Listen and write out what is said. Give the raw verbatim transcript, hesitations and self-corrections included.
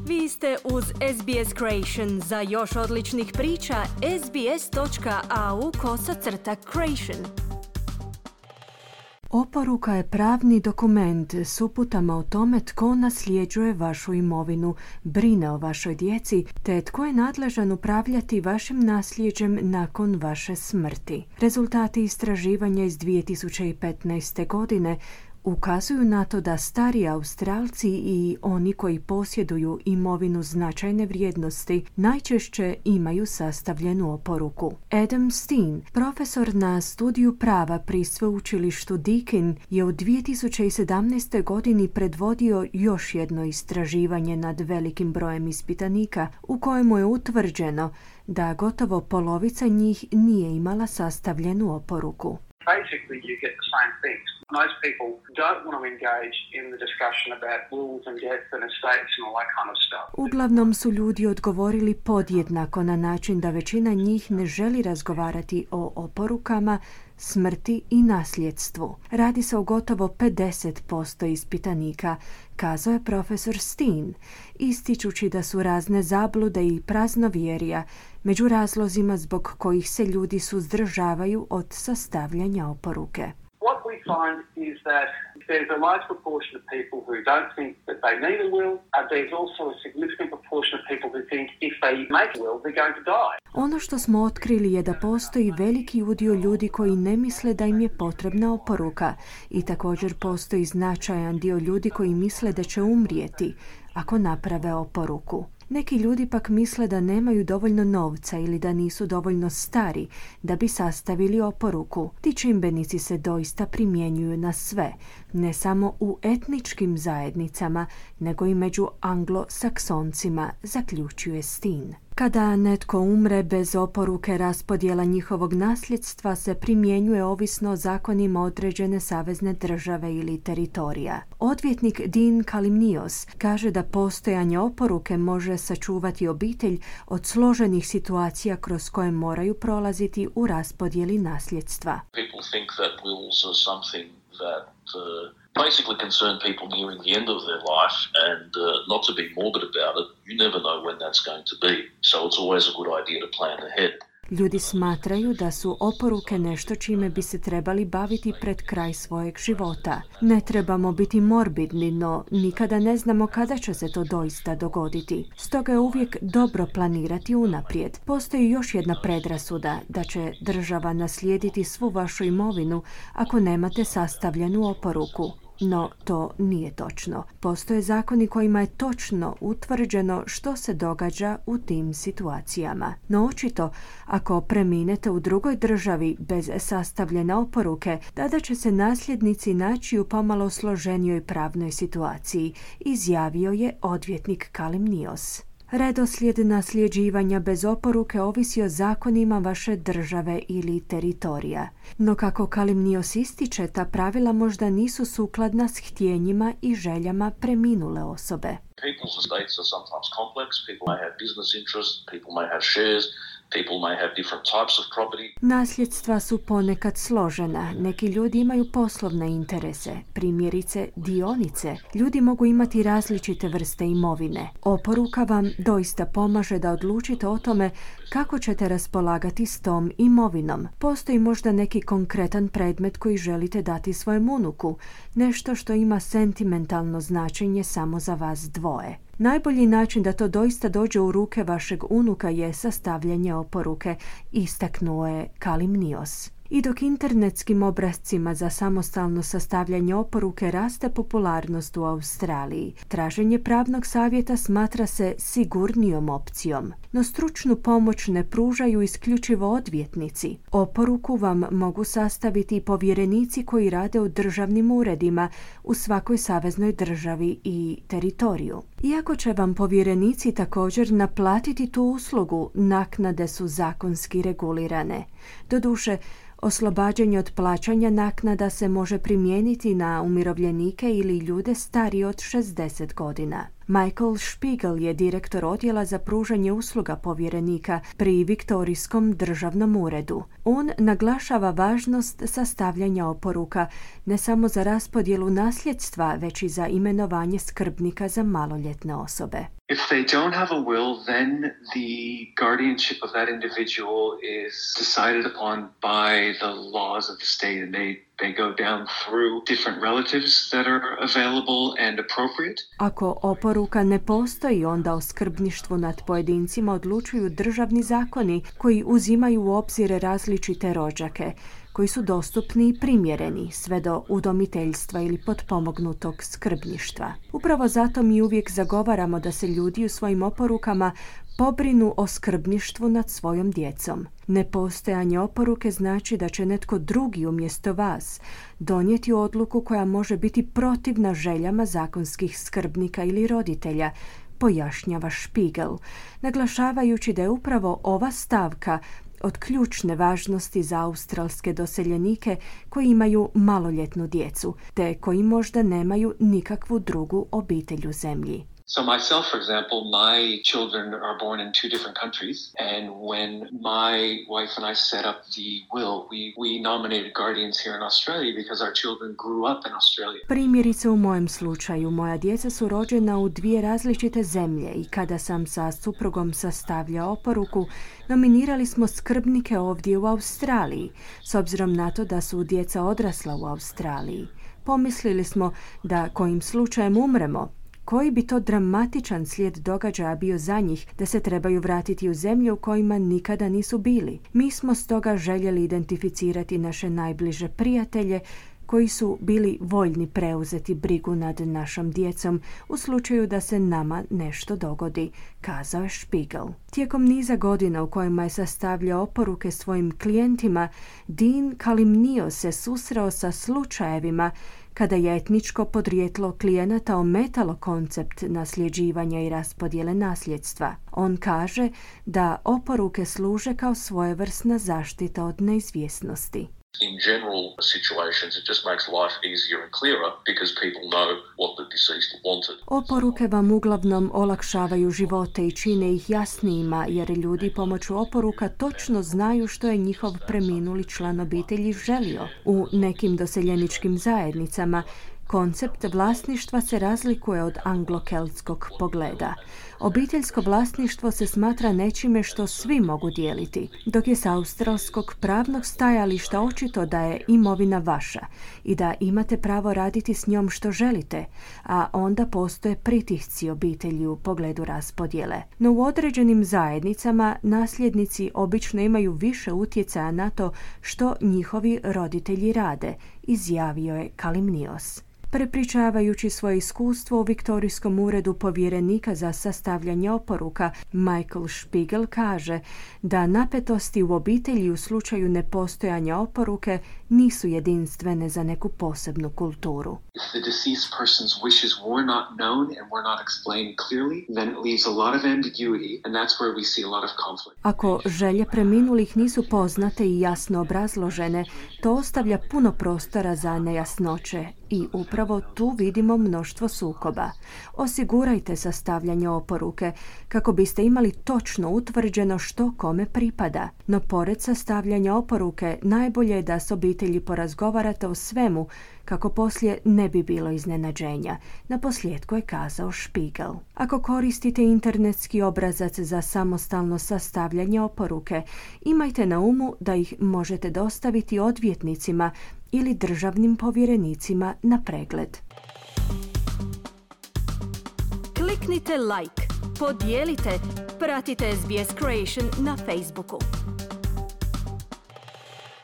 Vi ste uz S B S Creation. Za još odličnih priča, sbs.au kosacrta creation. Oporuka je pravni dokument s uputama o tome tko nasljeđuje vašu imovinu, brine o vašoj djeci, te tko je nadležan upravljati vašim nasljeđem nakon vaše smrti. Rezultati istraživanja iz dvije tisuće petnaeste. godine ukazuju na to da stari Australci i oni koji posjeduju imovinu značajne vrijednosti najčešće imaju sastavljenu oporuku. Adam Steen, profesor na studiju prava pri sveučilištu Deakin, je u dvije tisuće sedamnaestoj. godini predvodio još jedno istraživanje nad velikim brojem ispitanika u kojemu je utvrđeno da gotovo polovica njih nije imala sastavljenu oporuku. Basically, you get the same things. Most people don't want to engage in the discussion about wills and death and estates and all that kind of stuff. Uglavnom su ljudi odgovorili podjednako na način da većina njih ne želi razgovarati o oporukama, smrti i nasljedstvu. Radi se o gotovo pedeset posto ispitanika, kazao je profesor Steen, ističući da su razne zablude i praznovjerja među razlozima zbog kojih se ljudi suzdržavaju od sastavljanja oporuke. What we find is that there's a large proportion of people who don't think that they need a will, and there's also a significant proportion of people who think if they make a will, they're going to die. Ono što smo otkrili je da postoji veliki udio ljudi koji ne misle da im je potrebna oporuka i također postoji značajan dio ljudi koji misle da će umrijeti ako naprave oporuku. Neki ljudi pak misle da nemaju dovoljno novca ili da nisu dovoljno stari da bi sastavili oporuku. Ti čimbenici se doista primjenjuju na sve, ne samo u etničkim zajednicama, nego i među anglo-saksoncima, zaključuje Steen. Kada netko umre bez oporuke, raspodjela njihovog nasljedstva se primjenjuje ovisno o zakonima određene savezne države ili teritorija. Odvjetnik Dean Kalimnios kaže da postojanje oporuke može sačuvati obitelj od složenih situacija kroz koje moraju prolaziti u raspodjeli nasljedstva. People think that wills are something that uh... basically concern people nearing the end of their life, and uh, not to be morbid about it, you never know when that's going to be. So it's always a good idea to plan ahead. Ljudi smatraju da su oporuke nešto čime bi se trebali baviti pred kraj svojeg života. Ne trebamo biti morbidni, no nikada ne znamo kada će se to doista dogoditi. Stoga je uvijek dobro planirati unaprijed. Postoji još jedna predrasuda da će država naslijediti svu vašu imovinu ako nemate sastavljenu oporuku. No, to nije točno. Postoje zakoni kojima je točno utvrđeno što se događa u tim situacijama. No, očito, ako preminete u drugoj državi bez sastavljene oporuke, tada će se nasljednici naći u pomalo složenijoj pravnoj situaciji, izjavio je odvjetnik Kalimnios. Redoslijed nasljeđivanja bez oporuke ovisi o zakonima vaše države ili teritorija. No kako Kalimnios ističe, ta pravila možda nisu sukladna s htjenjima i željama preminule osobe. People's estates are sometimes complex. People may have business interests, people may have shares, people may have different types of property. Nasljedstva su ponekad složena. Neki ljudi imaju poslovne interese, primjerice dionice. Ljudi mogu imati različite vrste imovine. Oporuka vam doista pomaže da odlučite o tome kako ćete raspolagati s tom imovinom. Postoji možda neki konkretan predmet koji želite dati svojem unuku, nešto što ima sentimentalno značenje samo za vas dvoje. Najbolji način da to doista dođe u ruke vašeg unuka je sastavljanje oporuke, istaknuo je Kalimnios. I dok internetskim obrascima za samostalno sastavljanje oporuke raste popularnost u Australiji, traženje pravnog savjeta smatra se sigurnijom opcijom. No stručnu pomoć ne pružaju isključivo odvjetnici. Oporuku vam mogu sastaviti povjerenici koji rade u državnim uredima u svakoj saveznoj državi i teritoriju. Iako će vam povjerenici također naplatiti tu uslugu, naknade su zakonski regulirane. Doduše, oslobađanje od plaćanja naknada se može primijeniti na umirovljenike ili ljude starije od šezdeset godina. Michael Spiegel je direktor odjela za pružanje usluga povjerenika pri Viktorijskom državnom uredu. On naglašava važnost sastavljanja oporuka ne samo za raspodjelu nasljedstva, već i za imenovanje skrbnika za maloljetne osobe. If they don't have a will, then the guardianship of that individual is decided upon by the laws of the state, and they they go down through different relatives that are available and appropriate. Ako oporuka ne postoji, onda o skrbništvu nad pojedincima odlučuju državni zakoni koji uzimaju u obzir različite rođake, koji su dostupni i primjereni sve do udomiteljstva ili potpomognutog skrbništva. Upravo zato mi uvijek zagovaramo da se ljudi u svojim oporukama pobrinu o skrbništvu nad svojom djecom. Nepostojanje oporuke znači da će netko drugi umjesto vas donijeti odluku koja može biti protivna željama zakonskih skrbnika ili roditelja, pojašnjava Spiegel, naglašavajući da je upravo ova stavka od ključne važnosti za australske doseljenike koji imaju maloljetnu djecu, te koji možda nemaju nikakvu drugu obitelj u zemlji. So myself, for example, my children are born in two different countries, and when my wife and I set up the will, we, we nominated guardians here in Australia because our children grew up in Australia. Primjerice u mojem slučaju, moja djeca su rođena u dvije različite zemlje i kada sam sa suprugom sastavljao oporuku, nominirali smo skrbnike ovdje u Australiji, s obzirom na to da su djeca odrasla u Australiji. Pomislili smo da kojim slučajem umremo, koji bi to dramatičan slijed događaja bio za njih da se trebaju vratiti u zemlje u kojima nikada nisu bili. Mi smo stoga željeli identificirati naše najbliže prijatelje koji su bili voljni preuzeti brigu nad našom djecom u slučaju da se nama nešto dogodi, kazao je Spiegel. Tijekom niza godina u kojima je sastavljao oporuke svojim klijentima, Dean Kalimnio se susreo sa slučajevima kada je etničko podrijetlo klijenata ometalo koncept nasljeđivanja i raspodjele nasljedstva. On kaže da oporuke služe kao svojevrsna zaštita od neizvjesnosti. In general situations, it just makes life easier and clearer because people know what the deceased wanted. Oporuke vam uglavnom olakšavaju živote i čine ih jasnijima, jer ljudi pomoću oporuka točno znaju što je njihov preminuli član obitelji želio. U nekim doseljeničkim zajednicama koncept vlasništva se razlikuje od anglo-keltskog pogleda. Obiteljsko vlasništvo se smatra nečime što svi mogu dijeliti, dok je s australskog pravnog stajališta očito da je imovina vaša i da imate pravo raditi s njom što želite, a onda postoje pritisci obitelji u pogledu raspodjele. No u određenim zajednicama nasljednici obično imaju više utjecaja na to što njihovi roditelji rade, izjavio je Kalimnios. Prepričavajući svoje iskustvo u Viktorijskom uredu povjerenika za sastavljanje oporuka, Michael Spiegel kaže da napetosti u obitelji u slučaju nepostojanja oporuke nisu jedinstvene za neku posebnu kulturu. If the deceased person's wishes were not known and were not explained clearly, then it leaves a lot of ambiguity, and that's where we see a lot of conflict. Ako želje preminulih nisu poznate i jasno obrazložene, to ostavlja puno prostora za nejasnoće i upravo tu vidimo mnoštvo sukoba. Osigurajte sastavljanje oporuke kako biste imali točno utvrđeno što kome pripada. No pored sastavljanja oporuke najbolje je da s obitelji porazgovarate o svemu kako poslije ne bi bilo iznenađenja. Naposljetku je kazao Spiegel. Ako koristite internetski obrazac za samostalno sastavljanje oporuke, imajte na umu da ih možete dostaviti odvjetnicima ili državnim povjerenicima na pregled. Kliknite like, podijelite, pratite S B S Creation na Facebooku.